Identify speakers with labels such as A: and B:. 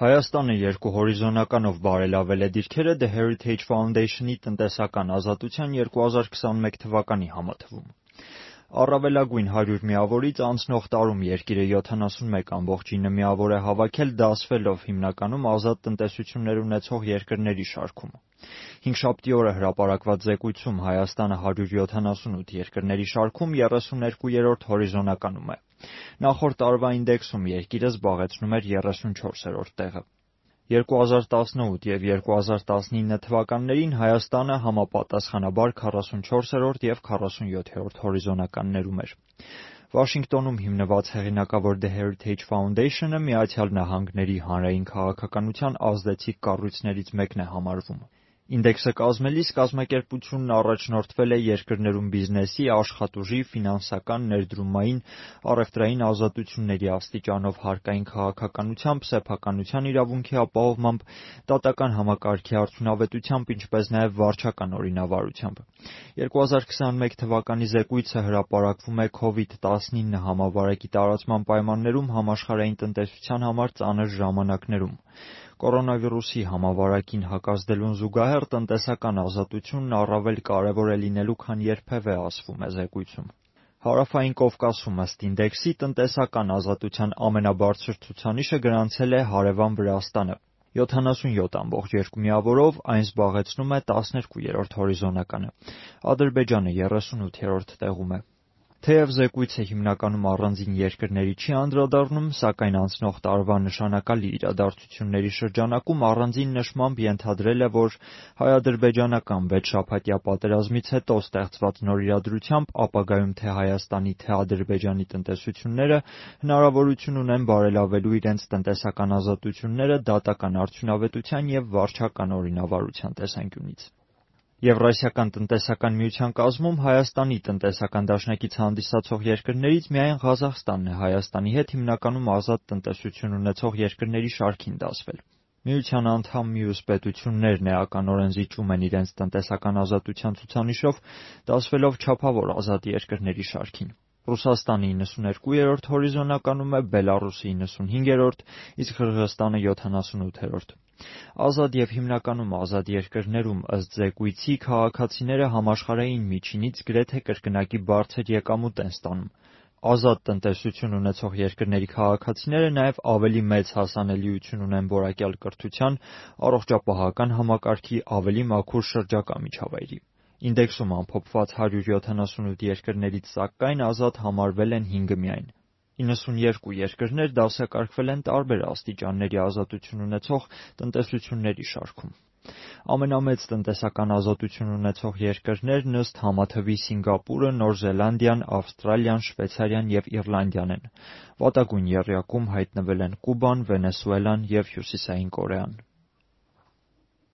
A: Հայաստանը երկու հորիզոնականով բարելավել է դիրքերը The Heritage Foundation-ի տնտեսական ազատության 2021 թվականի համատվում։ Առավելագույն 100 միավորից անցնող տարում երկիրը 71,9 միավոր է հավաքել դասվելով հիմնականում ազատ տնտեսություններ ունեցող երկրների շարքում։ Հինգշաբթի օրը հրապարակված զեկույցում Հայաստանը 178 երկրների շարքում 32-րդ հորիզոնականում է։ Նախորդ տարվա ինդեքսում երկիրը զբաղեցնում էր 34-րդ տեղը։ 2018 և 2019 թվականներին Հայաստանը համապատասխանաբար 44-րդ և 47-րդ հորիզոնականներում էր։ Վաշինգտոնում հիմնված հեղինակավոր The Heritage Foundation-ը Միացյալ Նահանգների հանրային քաղաքականության ազդեցիկ կառույցներից մեկն է համարվում։ Ինդեքսը կազմելիս կազմակերպությունն առաջնորդվել է երկրներում բիզնեսի, աշխատուժի, ֆինանսական, ներդրումային, առևտրային ազատությունների աստիճանով, հարկային քաղաքականությամբ, սեփականության իրավունքի ապահովմամբ, դատական համակարգի արդյունավետությամբ, ինչպես նաև վարչական օրինավարությամբ։ 2021 թվականի զեկույցը հրապարակվում է COVID-19 համավարակի տարածման պայմաններում համաշխարհային տնտեսության համար ծանր ժամանակներում։ Կորոնավիրուսի համավարակին հակազդելուն զուգահեռ տնտեսական ազատությունն առավել կարևոր է լինելու, քան երբևէ, ասվում է զեկույցում։ Հարավային Կովկասում ըստ ինդեքսի տնտեսական ազատության ամենաբարձր ցուցանիշը գրանցել է հարևան Վրաստանը 77,2 միավորով, այն զբաղեցնում է 12-րդ հորիզոնականը։ Ադրբեջանը 38-րդ տեղում է։ Թեև զեկույցը հիմնականում առանձին երկրների չի անդրադառնում, սակայն անցնող տարվա նշանակալի իրադարձությունների շրջանակում առանձին նշմամբ ենթադրել է, որ հայ-ադրբեջանական 6 շաբաթյա պատերազմից հետո ստեղծված նոր իրադրությամբ ապագայում թե Հայաստանի, թե Ադրբեջանի տնտեսությունները հնարավորություն ունեն բարելավելու իրենց տնտեսական ազատությունները դատական արդյունավետության և վարչական օրինավարության տեսանկյունից։ Եվրասիական տնտեսական միության կազմում Հայաստանի տնտեսական դաշնակից հանդիսացող երկրներից միայն Ղազախստանն է Հայաստանի հետ հիմնականում ազատ տնտեսություն ունեցող երկրների շարքին դասվել։ Միության անդամ մյուս պետություններն էականորեն զիջում են իրենց տնտեսական ազատության ցուցանիշով, դասվելով չափավոր ազատ երկրների շարքին։ Ռուսաստանը 92-րդ հորիզոնականում է, Բելառուսը 95-րդ, իսկ Ղրղըզստանը 78-րդ։ Ազատ և հիմնականում ազատ երկրներում ըստ զեկույցի քաղաքացիները համաշխարհային միջինից գրեթե կրկնակի բարձր եկամուտ են ստանում։ Ազատ տնտեսություն ունեցող երկրների քաղաքացիները նաև ավելի մեծ հասանելիություն ունեն որակյալ կրթության, առողջապահական համակարգի, ավելի մաքուր շրջակա միջավայրի։ Ինդեքսում ամփոփված 178 երկրներից սակայն ազատ համարվել են 5 միայն։ 92 երկրներ դասակարգվել են տարբեր աստիճանների ազատություն ունեցող տնտեսությունների շարքում։ Ամենամեծ տնտեսական ազատություն ունեցող երկրներն ըստ համաթվի Սինգապուրը, Նոր Զելանդիան, Ավստրալիան, Շվեյցարիան և Իռլանդիան են։ Վատագույն եռյակում հայտնվել են Կուբան, Վենեսուելան և Հյուսիսային Կորեան։